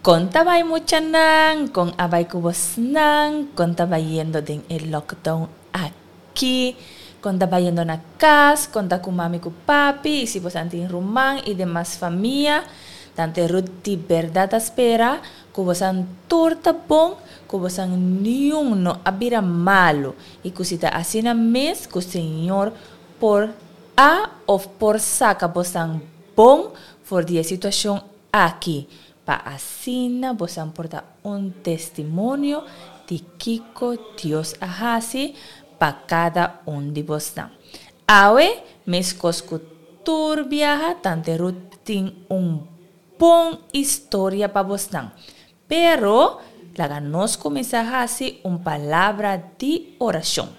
Kon ta bai muchanan? Kon a bai ku bosnan? Kon ta bayendo den e lockdown aki? Kon ta bayendo na kas? Kon ta ku mami ku papi? I si bosan tin ruman i demas famia? Tante Ruth di bèrdat ta spera ku bosan tur ta bon, ku bosan niun no a bira malu i ku si ta asina mes ku Señor por a òf por saka bosan bon for di e situashon aki, pa asina bosan por ta un testimonio di kiko Dios a hasi pa kada un di bosnan. Awe, meskos ku tur biaha, Tante Ruth tin un bon historia pa bosnan. Pero, laga nos kuminsá hasi un palabra di orashon.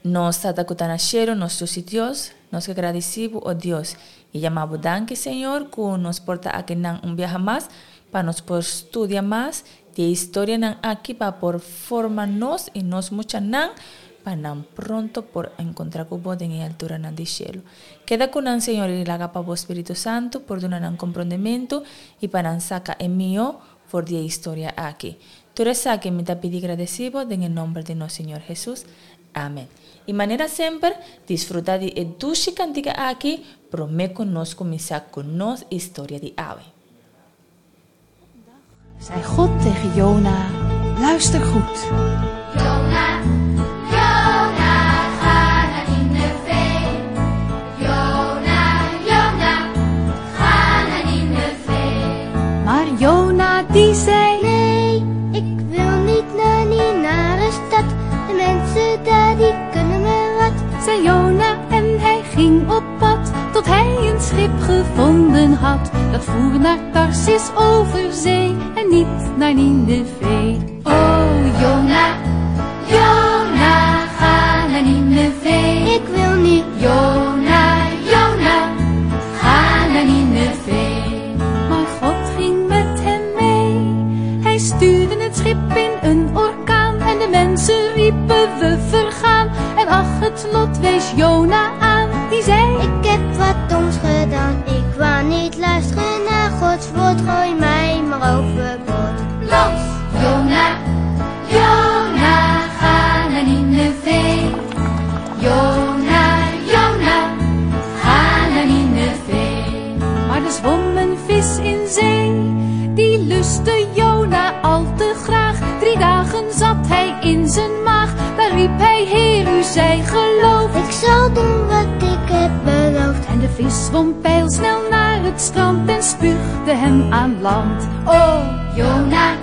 Nos Tata ku ta na shelu, nos Dios i Dios, nos ke gradisí bo, o Dios, i yama bo danki, Señor, ku nos por ta akinan un biaha mas pa nos por studia mas di e historianan aki pa por forma nos i nos muchanan pa nan pronto por enkontrá ku bo den e alturanan di shelu. Keda ku nan, Señor, i laga pa bo Spiritu Santu por duna nan komprondementu i pa nan saka e mihó for di e historia aki. Tur esaki mi ta pidi gradeci bo den e nomber di nos Señor Jesus. Amen. Y manera semper, disfruta di e dushi cantica aki prome cu nos cuminsa cu nos historia di awe. Zei God tegen Jona, luister goed. Jona, Jona, ga naar Nineve. Jona, Jona, ga naar Nineve. Maar Jona die zei, Nee, ik wil niet naar die nare stad. De mensen daar die kunnen me wat. Zei Jona en hij ging op pad, tot hij een schip gevonden had. Dat voer naar Tarsis over zee en niet naar Nineve. Oh Jona, Jona, ga naar Nineve. Ik wil niet. Jona, Jona, ga naar Nineve. Maar God ging met hem mee. Hij stuurde het schip in een orkaan en de mensen riepen we vergaan. En ach, het lot wees Jona aan, die zei: Ik heb wat doms gedaan. Ik wou niet luisteren naar Gods woord. Gooi mij maar overboord. Los! Jona, Jona, ga naar Nineve. Jona, Jona, ga naar Nineve. Maar er zwom een vis in zee, die lustte Jona al te graag. 3 dagen zat hij in zijn maag, daar riep hij, Heer, u zij geloofd. Ik zal doen wat ik heb beloofd. En de vis zwom pijlsnel naar het strand en spuugde hem aan land. Oh, Jona,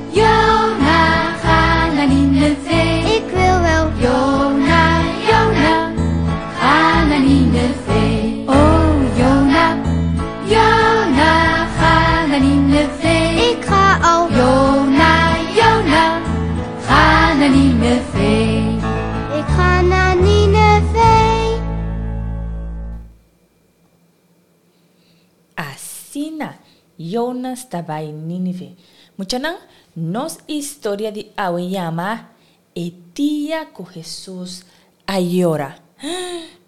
Jona, ga naar Nineve. Ik wil wel. Jona, Jona, ga naar Nineve. Oh, Jona, Jona, ga naar Nineve. Ik ga al. Jona, Jona, ga naar Nineve. Ik ga naar Nineve. Asina, Jonas ta bai Nínive. Muchanan, nos historia di awe yama E dia ku Hesus a yora.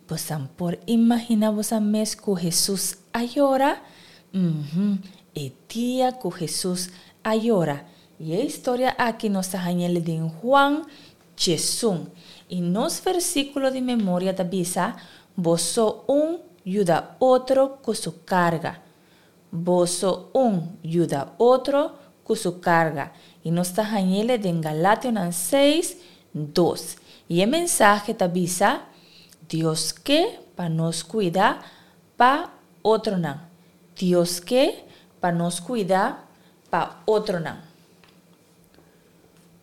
Bosan por imagina bosan mes ku Hesus a yora? Uhum, e dia ku Hesus a yora. I e historia aki nos ta hañ'el den Juan 11. I nos versíkulo di memoria ta bisa, Boso un yuda otro ku su karga. Boso un yuda otro ku su karga. I nos ta hañ'el den Galationan 6, 2. I e mensahe ta bisa, Dios ke pa nos kuida pa otronan. Dios ke pa nos kuida pa otronan.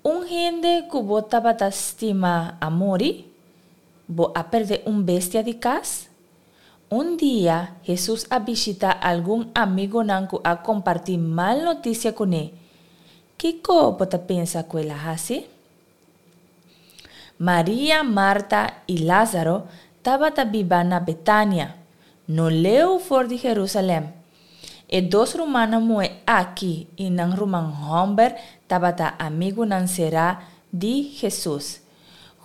Un hende ku bo tabata stima a muri? Bo a pèrdè un bestia di kas? Un dia, Hesus a bishitá algun amigonan ku a kompartí mal notisia kuné. Kiko bo ta pensa ku el a hasi? Maria, Marta i Lázaro tabata biba na Betania, no leu for di Herúsalèm. E dos rumannan muhé aki i nan ruman hòmber tabata amigunan será di Hesus.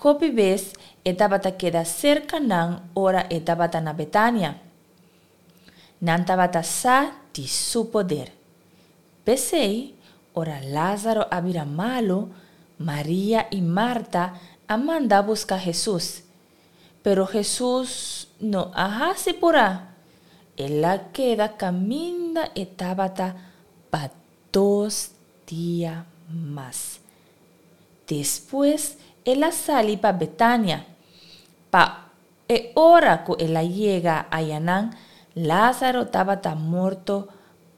Hopi bes e tabata keda serka nan ora e tabata na Betania. Nan tabata sa di su poder. P'esei, ora Lázaro a bira malu, Maria i Marta a manda buska Hesus. Pero Hesus no a hasi purá. El a keda kaminda e tabata pa dos dia mas. Despues el a sali pa Betania. Pa e ora ku el a yega ayanan, Lázaro tabata morto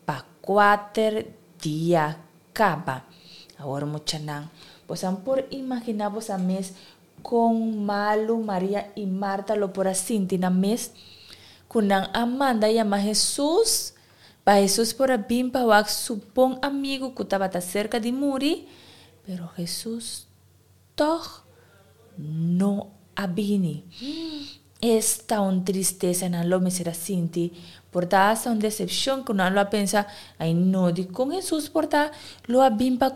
pa kuater dia kaba. Awor muchanan, bosan por imaginá bosan mes kon malu Maria i Marta lo por a sinti nan mes ku nan a manda yama Hesus pa Hesus por a bin pa wak su bon amigu ku tabata serka di muri? Pero Hesus tòg no a bini. Esta un tristesa nan lo mester a sinti! Por ta asta un desepshon ku nan lo a pensa, Ai no, dikon Hesus por ta lo a bin pa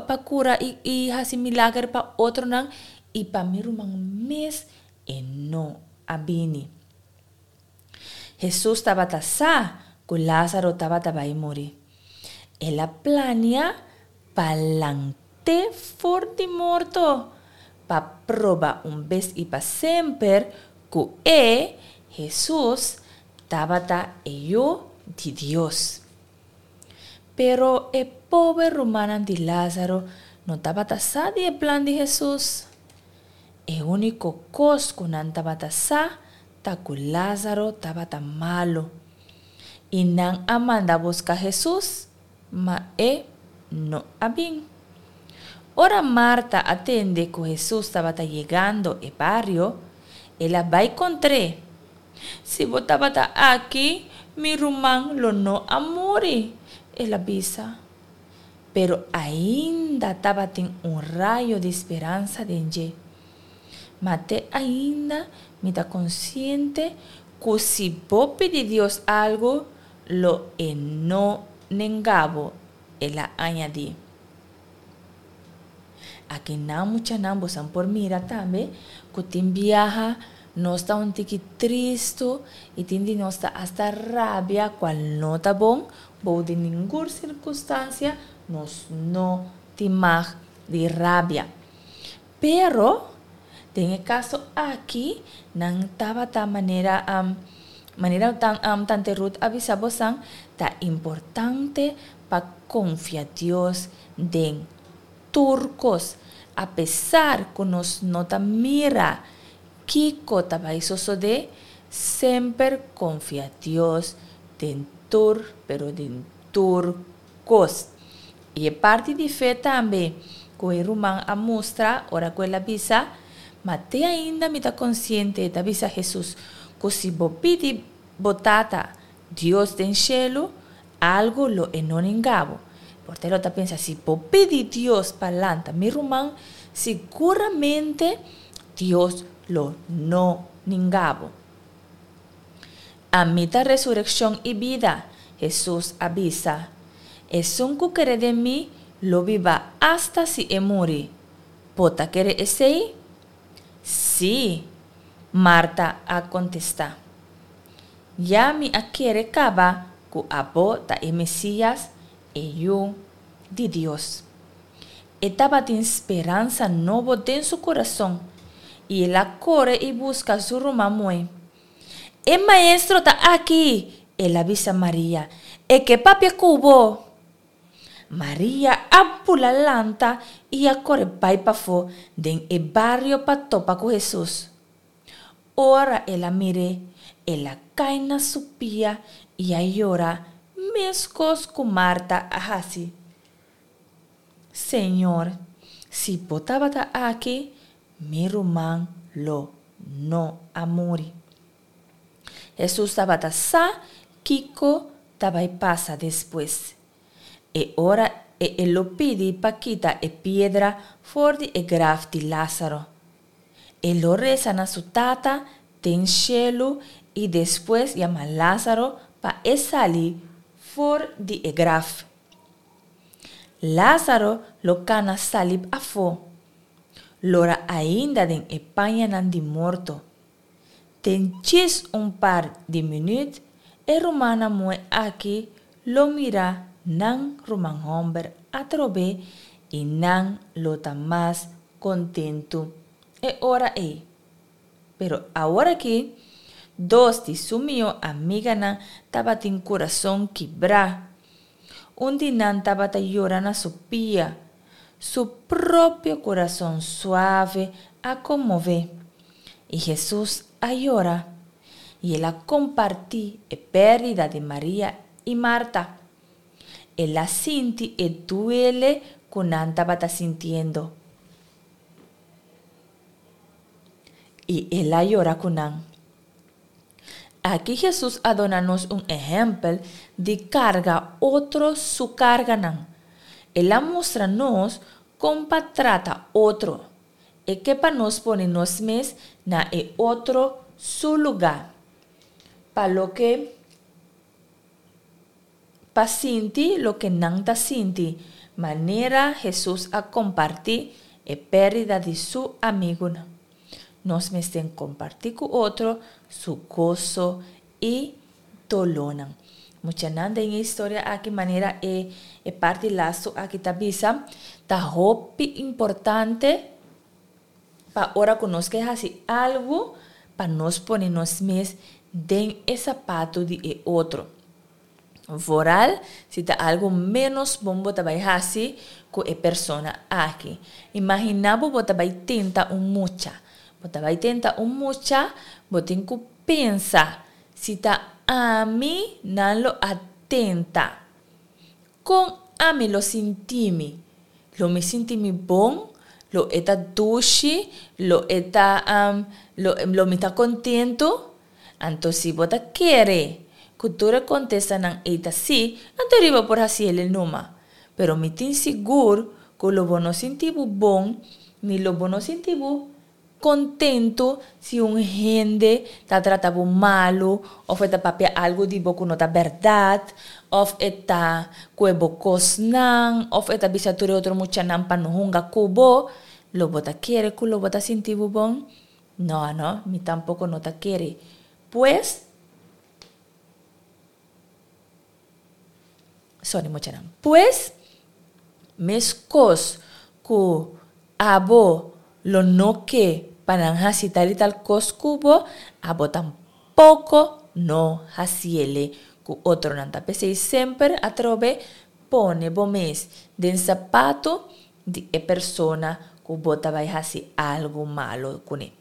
pa kura i i hasi milager pa otronan i pa mi ruman mes e no a bini? Hesus tabata sa ku Lázaro tabata bai muri. El a plania pa lant'é for di morto, pa proba un bes i pa semper ku e, Hesus, tabata e Yu di Dios. Pero e pober rumannan di Lázaro no tabata sa di e plan di Hesus. E úniko kos ku nan tabata sa ta ku Lázaro tabata malu. I nan a manda buska Hesus, Ma e no a bin. Ora Marta a tende ku Hesus tabata yegando e bario, el a bai kontr'é. Si bo tabata aki, mi ruman lo no a muri, el a bisa. Pero ainda tabatin un rayo di speransa den dje. Ma te ainda mi ta konsiente ku si bo pidi Dios algu, Lo e no nenga bo, el a añadí. Aki nan muchanan bosan por mira tambe ku tin biaha nos ta un tiki tristu i tin di nos ta asta rabia kual no ta bon, bou di ningun sirkunstansia nos no tin mag di rabia. Pero, den e kaso aki, nan tabata manera manera tante Ruth a bisa bosan, ta importante pa konfia Dios den tur kos. Apesar ku nos no ta mira kiko ta bai sosodé, semper konfia Dios den tur, pero den tur kos. I e parti di fe tambe ku e ruman a mustra ora ku el a bisa, Ma te ainda mi ta konsiente, ta bisa Hesus, ku si bo pidi bo Tata, Dios den shelu, algu lo e no ninga bo. Por ta e lo ta pensa, si bo pidi Dios pa lanta mi ruman, siguramente Dios lo no ninga bo. Ami ta resurekshon i bida, Hesus a bisa. Esun ku kere den mi lo biba asta si e muri. Bo ta kere esei? Sí, Marta a kontestá. Ya mi a kere kaba ku abo ta e Mesías, e Yu di Dios. E tabatin speransa nobo den su kurason, i el a kore i buska su ruman muhé. E Maestro ta aki! El a bisa Maria. E ke papia ku bo! Maria a bula lanta i a kore bai pafó den e bario pa topa ku Hesus. Ora el a mir'é, el a kai na su pia i a yora meskos ku Marta a hasi. Señor, si bo tabata aki, mi ruman lo no a muri. Hesus tabata sa kiko ta bai pasa despues. E ora e e lo pidi pa kita e piedra for di e graf di Lázaro. E lo resa na su Tata den shelu i despues yama Lázaro pa e sali for di e graf. Lázaro lo kana sali afó, lora ainda den e pañanan di morto. Den djis un par di minüt, e rumannan muhé aki lo mira nan ruman hòmber atrobe i nan lo ta mas kontentu e ora ei. Pero aworakí, dos di su mihó amiganan tabatin kurason kibrá. Un di nan tabata yora na su pia. Su propio kurason suave a konmové. I Hesus a yora. I el a kompartí e pèrdida di Maria i Marta. El a sinti e duele ku nan tabata sintiendo. I el a yora ku nan. Aki Hesus a duna nos un ehèmpel di karga otro su karganan. El a mustra nos kon pa trata otro. E ke pa nos pone nos mes na e otro su lugá. Pa loke pa sinti loke nan ta sinti, manera Hesus a kompartí e pèrdida di su amigunan. Nos mester kompartí ku otro su goso i dolónan. Muchanan den e historia aki manera e e parti lastu aki ta bisa, ta hopi importante pa ora ku nos ke hasi algu pa nos pone nos mes den e sapatu di e otro. Vooral si ta algu ménos bon bo ta bai hasi ku e persona aki. Imaginá bo bo ta bai tenta un mucha. Bo ta bai tenta un mucha, bo tin ku pensa, si ta ami nan lo a tenta, kon ami lo sinti mi? Lo mi sinti mi bon? Lo e ta dushi? Lo e ta, lo lo mi ta kontentu? Anto si bo ta kere ku tur e kontestanan ei ta sí, anto riba por hasi el e numa. Pero mi tin sigur ku lo bo no sinti bo bon ni lo bo no sinti bo kontentu si un hende ta trata bo malu òf e ta papia algu di bo ku no ta bèrdat òf e ta kue bo kosnan òf e ta bisa tur e otro muchanan pa no hunga ku bo. Lo bo ta kere ku lo bo ta sinti bo bon? No, no, mi tampoco no ta kere. Pues, sorry muchanan. Pues, mescos cu abo lo no ke pa nan haci tal y tal cos cu bo, abo tampoco no haciele cu otronan. Ta p'esey semper atrobe pone bo mes den zapato di e persona ku bo ta bai hasi algu malo kuné.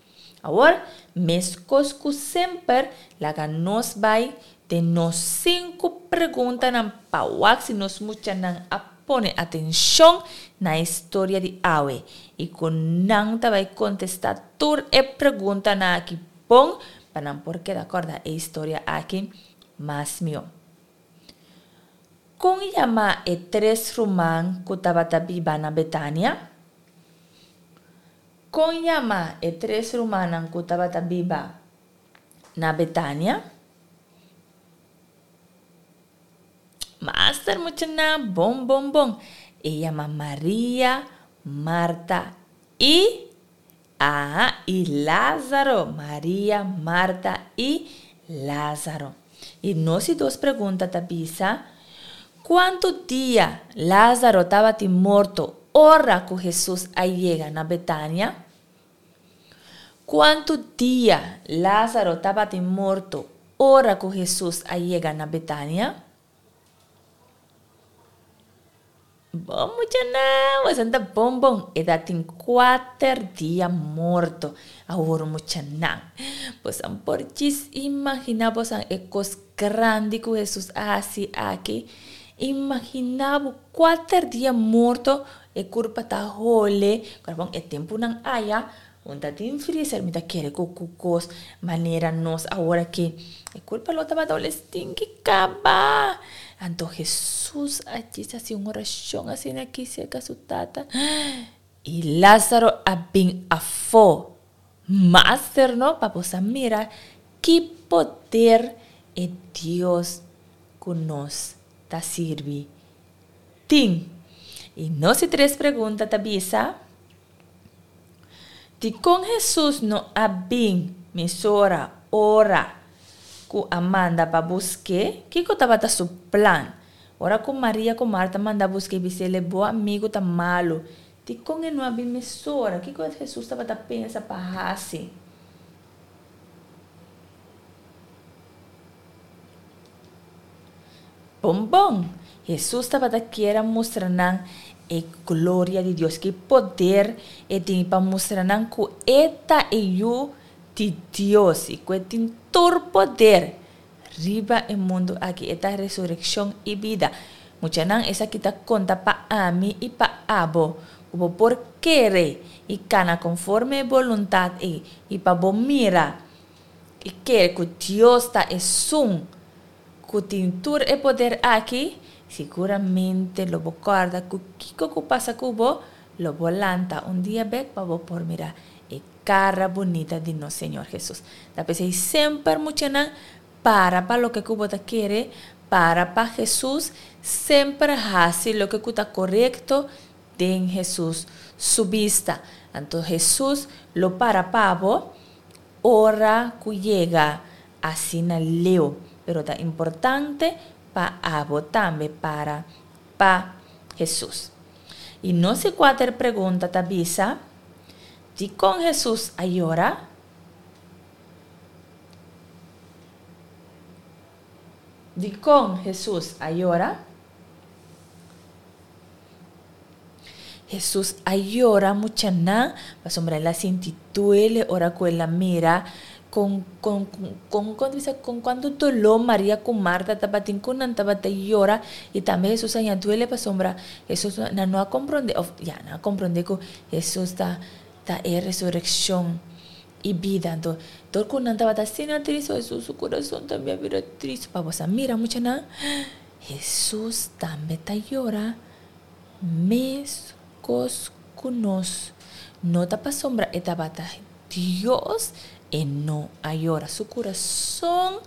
Awor, meskos ku semper, laga nos bai den nos sinku preguntanan pa wak si nos muchanan a pone atenshon na e storia di awe i ku nan ta bai kontestá tur e preguntanan aki bon pa nan por keda kòrda e historia aki mas mihó. Kon yama e tres ruman ku tabata biba na Betania? Kon yama e tres rumannan ku tabata biba na Betania? Master muchanan, bon bon bon. E yama Maria, Marta i Aha, i Lázaro, Maria, Marta i Lázaro. I nos di dos pregunta ta bisa, Kuantu dia Lázaro tabatin morto ora ku Hesus a yega na Betania? Kuantu dia Lázaro tabatin morto ora ku Hesus a yega na Betania? Bon muchanan, boso ta bon bon. E ta tin kuater dia morto. Awor muchanan, boso por djis imaginá boso e kos grandi ku Hesus a hasi aki. Imaginá bo kuater dia morto, e kurpa ta hole. Bon, e tempunan aya Un ta tin freezer, mi ta kere ku ku kos manera nos awor aki. E kulpa lo tabata ol e stinki kaba. Anto Hesus a djis hasi un orashon asina aki serka su tata. I Lázaro a bin afó. Master no, pa bo sa mira ki poder e Dios ku nos ta sirbi tin. I nos di tres pregunta ta bisa. Dikon Hesus no a bin mesora ora ku a manda pa busk'é? Kiko tabata su plan? Ora ku Maria ku Marta manda busk'é bis'é, Bo amigu ta malu. Dikon e no a bin mesora? Kiko Hesus tabata pensa pa hasi? Bon bon! Hesus tabata kier a mustra nan e gloria di Dios, ki poder e tin pa mustra nan ku e ta e Yu di Dios i ku e tin tur poder riba e mundu aki. E ta resurekshon i bida. Muchanan, esaki ta konta pa ami i pa abo, ku bo por kere i kana konforme e boluntat ei i pa bo mira i kere ku Dios ta esun ku tin tur e poder aki, siguramente lo bo kòrda ku kiko ku pasa ku bo, lo bo lanta un dia bèk pa bo por mira e kara bunita di nos Señor Hesus. Ta p'esei semper muchanan para pa loke ku bo ta kere, para pa Hesus, semper hasi loke ku ta korekto den Hesus su bista. Anto Hesus lo para pa bo ora ku yega asina leu, pero ta importante pa abo tambe para pa Hesus. I nos e kuater pregunta ta bisa, Dikon Hesus a yora? Dikon Hesus a yora? Hesus a yora muchanan pasobra el a sinti duele ora ku el a mira kon kon kon kon bisa kon kuantu doló Maria ku Marta tabatin ku nan tabata yora i tambe Hesus a haña duele pasobra Hesus nan no a komprondé òf ya nan a komprondé ku Hesus ta ta e resurekshon i bida anto dor ku nan tabata asina tristu Hesus su kurason tambe a bira tristu pa bo sa mira muchanan Hesus tambe ta yora Meskos ku nos no ta pasobra e tabata Dios, e no a yora. Su kurason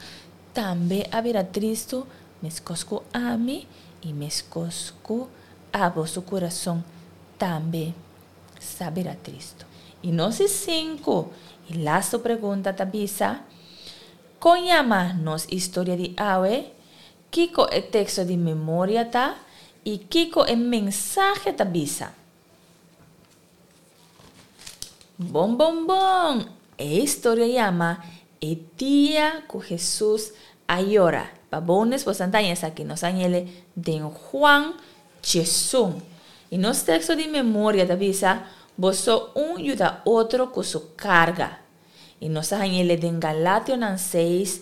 tambe a bira tristu meskos ku ami i meskos ku abo su kurason tambe sa bira tristu. I nos di sinku i lastu pregunta ta bisa, Kon yama nos historia di awe? Kiko e teksto di memoria ta i kiko e mensahe ta bisa? Bon bon bon! E historia yama E dia ku Hesus a yora. Pa bonus bo sa taña esaki nos a ñele den Juan 11. I nos teksto di memoria ta bisa, Boso un yuda otro ku su karga. I nos a hañ'ele den Galationan seis,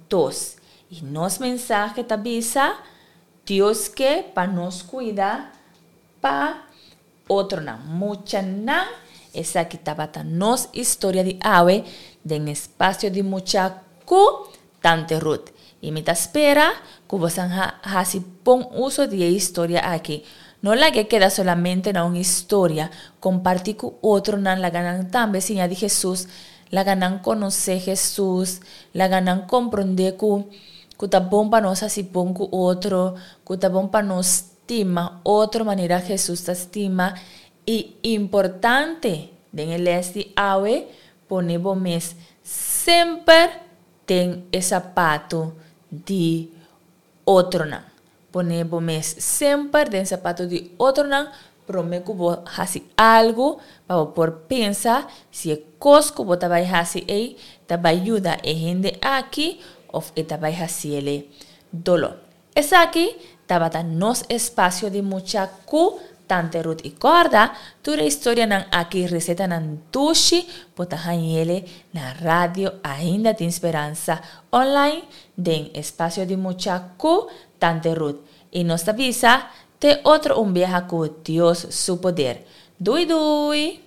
dos. I nos mensahe ta bisa, Dios ke pa nos kuida pa otronan. Muchanan, esaki tabata nos historia di awe den Espasio di Mucha ku Tante Ruth. I mi ta spera ku bosan ha hasi bon uso di e historia aki. No laga e keda solamente na un historia, kompartí ku otronan, laga nan tambe siña di Hesus, laga nan konosé Hesus, laga nan komprondé ku ku ta bon pa nos hasi bon ku otro, ku ta bon pa nos stima otro manera Hesus ta stima i importante den e lès di awe pone bo mes semper den e sapato di otronan. Pone bo mes semper den sapato di otronan prome ku bo hasi algu pa bo por pensa si e kos ku bo ta bai hasi ei ta bai yuda e hende aki òf e ta bai hasiele doló. Esaki tabata nos espasio di mucha ku Tante Ruth i kòrda tur e historianan aki resetanan dushi bo ta hañ'ele na Radio Ainda Tin Speransa online den Espasio di Mucha ku Tante Ruth i nos ta bisa te otro un biaha ku Dios su poder. Dui dui!